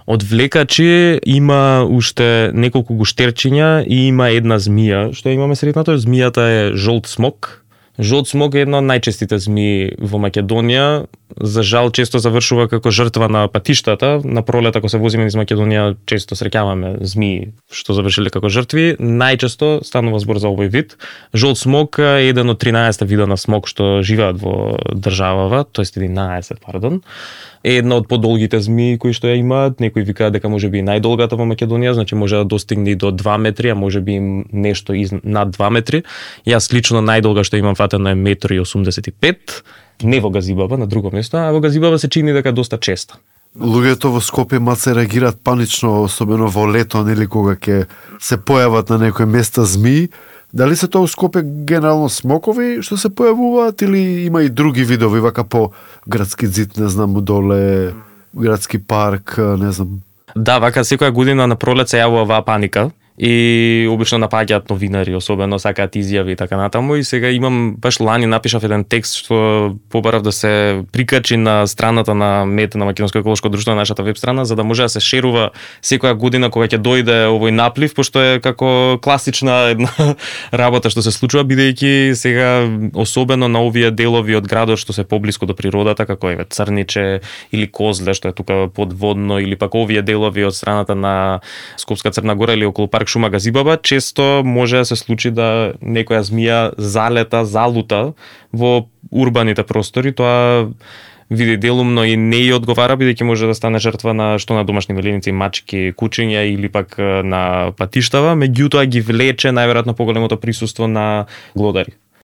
Од влекачи има уште неколку гуштерчиња и има една змија. Што имаме сретнато? Змијата е жолт смок. Жолт смок е една од најчестите змии во Македонија. За жал често завршува како жртва на патиштата. На пролет ако се возиме низ Македонија често среќаваме змии што завршиле како жртви. Најчесто станува збор за овој вид. Жолт смок е еден од 13 вида на смок што живеат во државава, тоест 11, пардон. Е една од подолгите змии кои што ја имаат. Некои викаат дека можеби најдолгата во Македонија, значи може да достигне и до 2 метри, а можеби нешто над 2 метри. Јас лично најдолга што имам фатено е 1,85 метри. Не во Газибаба, на друго место, а во Газибаба се чини дека доста често. Луѓето во Скопје маце реагираат панично, особено во лето, нели кога ќе се појават на некои места змии. Дали се тоа во Скопје генерално смокови што се појавуваат или има и други видови, вака по градски зид, не знам, доле, градски парк, не знам. Да, вака секоја година на пролет се јавува оваа паника и обично напаѓаат новинари, особено сакаат изјави и така натаму. И сега имам, баш лани напишав еден текст што побарав да се прикачи на страната на МЕТ, на Македонско еколошко друштво, на нашата веб страна, за да може да се шерува секоја година кога ќе дојде овој наплив, пошто е како класична една работа што се случува, бидејќи сега особено на овие делови од градот што се поблиску до природата, како е Црниче или Козле, што е тука подводно, или пак овие делови од страната на Скопска Црна Гора или околу парк Шума Газибаба, често може да се случи да некоја змија залута во урбаните простори. Тоа види делумно и не ја одговара, бидејќи може да стане жртва на што на домашни мелиници, мачки, кучиња или пак на патиштава, меѓутоа ги влече најверојатно поголемото присуство на глодари.